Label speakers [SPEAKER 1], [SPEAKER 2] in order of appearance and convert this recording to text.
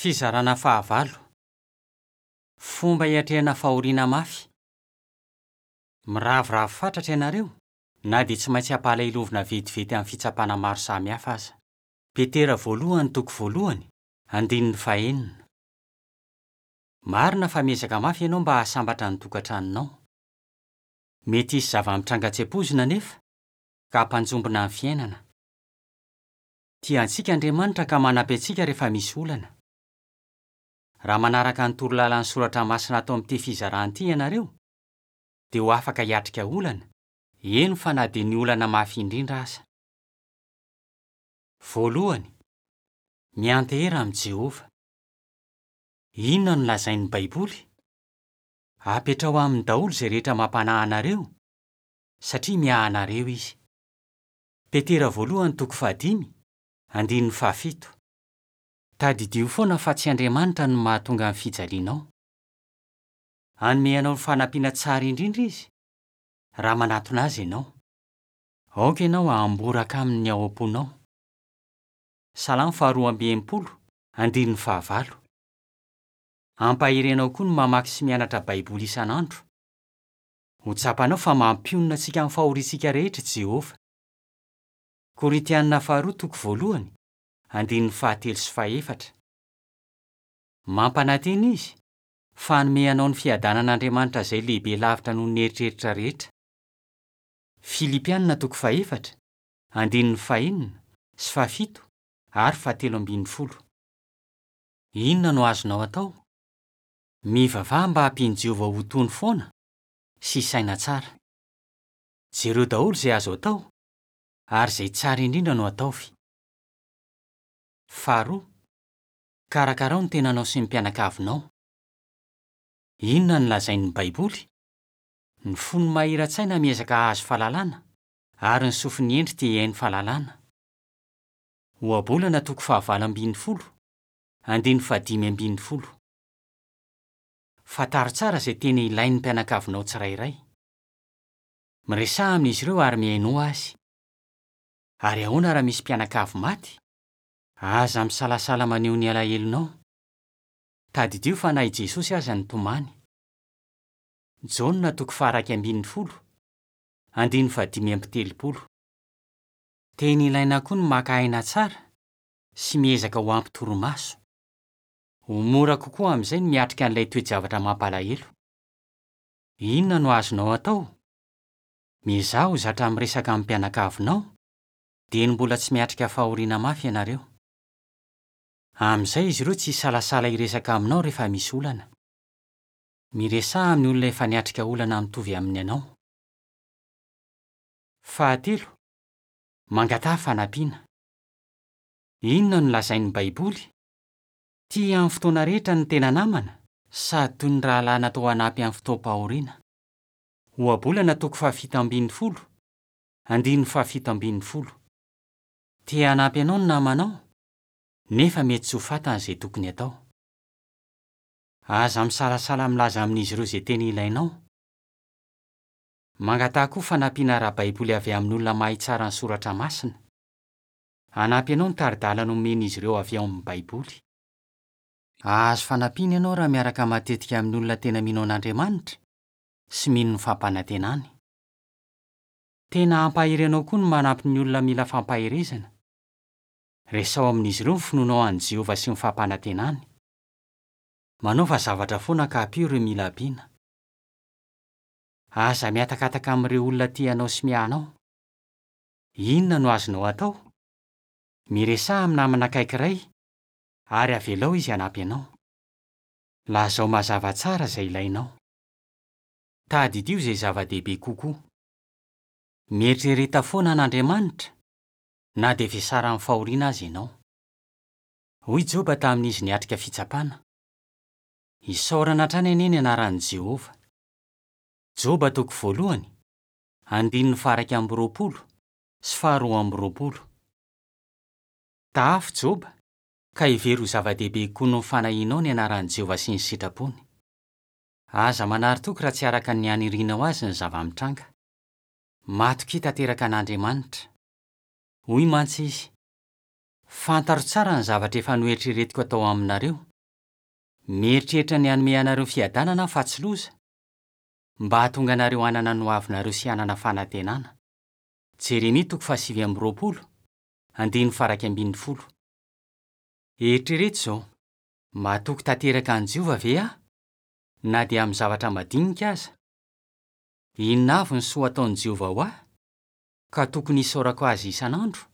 [SPEAKER 1] Fizarana fahavalo. Fomba hiatrehana fahoriana mafy. Miraviravy fatratra ianareo na dia tsy maintsy ampalahelovina vetivety amin'ny fitsapana maro samihafa aza. Petera voalohany toko voalohany, andininy fahenina. Marina fa miezaka mafy ianao mba hahasambatra ny tokantranonao. Mety hisy zava-mitranga tsy ampoizina anefa, ka hampanjombona ny fiainana. Tia antsika Andriamanitra ka manampy antsika rehefa misy olana. Raha manaraka ny torolalan'ny Soratra Masina ato amin'ity fizarana ity ianareo, dia ho afaka hiatrika olana, eny fa na dia ny olana mafy indrindra aza. Voalohany, miantehera amin'i Jehovah. Inona no lazain'ny Baiboly? Apetraho aminy daholo izay rehetra mampanahy anareo, satria miahy anareo izy. Petera voalohany toko fahadimy, andininy fahafito. Tadidio foana fa tsy Andriamanitra no mahatonga ny fijalianao. Hanome anao ny fanampiana tsara indrindra izy, raha manatona azy ianao. Aoka ianao hamboraka aminy ny ao am-ponao. Salamo faharoa amby 60, andininy fahavalo. Hampahery anao koa ny mamaky sy mianatra Baiboly isan'andro. Ho tsapanao fa mampionona antsika amin'ny fahoriantsika rehetra i Jehovah. Korintiana faharoa toko voalohany, andininy fahatelo sy fahefatra. Mampanantena izy fa hanome anao ny fiadanan'Andriamanitra izay lehibe lavitra noho ny eritreritra rehetra. Filipiana toko fahefatra, andininy fahenina sy fahafito ary fahatelo ambin'ny folo. Inona no azonao atao? Mivavaha mba hampian'i Jehovah ho tony foana sy hisaina tsara. Jereo daholo izay azo atao, ary izay tsara indrindra no ataovy. Faharoa, kaраkarao ny tenanao sy ny mpianakavinao. Inona no lazain'ny Baiboly? Ny fon'ny mahira-tsaina miezaka hahazo fahalalana, ary ny sofin'ny hendry te hihaino fahalalana. Ohabolana toko fahavalo ambin'ny folo, andininy fahadimy ambin'ny folo. Fantaro tsara izay tena ilain'ny mpianakavinao tsirairay. Miresaha amin'izy ireo ary mihainoa azy. Ary ahoana raha misy mpianakavy maty? Aza misalasala maneho ny alahelonao. Tadidio fa na i Jesosy aza nitomany. Jaona toko faha-11, andininy faha-35. Tena ilaina koa ny maka aina tsara sy miezaka ho ampy torimaso. Ho mora kokoa amin'izay ny miatrika an'ilay toe-javatra mampalahelo. Inona no azonao atao? Miezaha ho zatra miresaka amin'ny mpianakavinao, dieny mbola tsy miatrika fahoriana mafy ianareo. Amin'izay izy ireo tsy hisalasala hiresaka aminao rehefa misy olana. Miresaha amin'ny olona efa niatrika olana mitovy amin'ny anao. Fahatelo, mangataha fanampiana. Inona no lazain'ny Baiboly? Tia amin'ny fotoana rehetra ny tena namana, sady toy ny rahalahy natao hanampy amin'ny fotoam-pahoriana. Ohabolana toko fahafito ambin'ny folo, andininy fahafito ambin'ny folo. Te hanampy anao ny namanao, nefa mety tsy ho fantany izay tokony hatao. Aza misalasala milaza amin'izy ireo izay tena ilainao. Mangataha koa fanampiana ara-baiboly avy amin'olona mahay tsara ny Soratra Masina. Hanampy anao ny tari-dalana omen'izy ireo avy ao amin'ny Baiboly. Hahazo fanampiana ianao raha miaraka matetika amin'ny olona tena mino an'Andriamanitra sy mino ny fampanantenany. Tena hampahery anao koa ny manampy ny olona mila fampaherezana. Resaho amin'izy ireo ny finoanao an'i Jehovah sy ny fampanantenany. Manaova zavatra foana ka ampio ireo mila ampiana. Aza mihatakataka amin'ireo olona tia anao sy miahy anao. Inona no azonao atao? Miresaha amin'ny namana akaiky iray ary avelao izy hanampy anao. Lazao mazava tsara izay ilainao. Tadidio izay zava-dehibe kokoa. Mieritrereta foana an'Andriamanitra na dia vesaran'ny fahoriana aza ianao. Hoy Joba tamin'izy niatrika fitsapana, Isaorana hatrany anie ny anaran'i Jehovah. Joba toko voalohany, andininy faha-21 sy faha-22. Tahafo Joba, ka hevero ho zava-dehibe kokoa noho ny fanahianao ny anaran'i Jehovah sy ny sitrapony. Aza manary toky raha tsy araka ny anirianao azy ny zava-mitranga. Matokia tanteraka an'Andriamanitra. Hoy mantsy izy, Fantaro tsara ny zavatra efa noeritreretiko hatao aminareo. Mieritreritra ny hanome anareo fiadanana aho fa tsy loza, mba hahatonga anareo hanana ny hoavinareo sy hanana fanantenana. Jeremia toko fahasivy amby roapolo, andininy faha-11. Eritrereto izao, 'Matoky tanteraka an'i Jehovah ve aho, na dia amin'ny zavatra madinika aza? Inona avy ny soa ataon'i Jehovah ho ahy, ka tokony hisaorako azy isan'andro?